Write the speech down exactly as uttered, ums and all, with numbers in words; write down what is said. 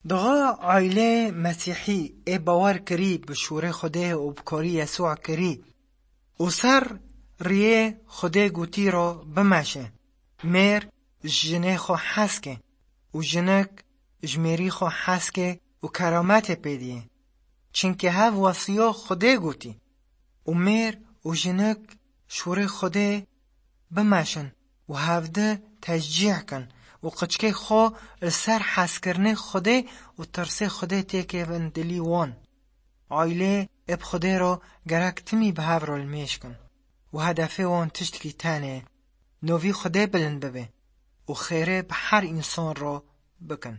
Dixa aîlê Mesîhî ê bawer kirî bi şûrê Xwedê û bi karî Yesûa kirî û ser riyê Xwedê gotî ro bimeşe. Mêr ji jinê xwe hez ke û jinik ji mêrî xwe hez ke û kerametê pê diyê. Çimkî hev wesiyo Xwedê gotî. Û mêr û jinik şûrê Xwedê bimeşin û hevdi teşcîh kin û qiçkê xwe li ser hezkirinê Xwedê û tirsê Xwedê têkevin dilî wan. Aîlê ê bi Xwedê re gerek timî bi hev re limêj kin û hedefê wan tiştkî tenê, novî Xwedê bilind bibe û xêrê bi her însan re bikin.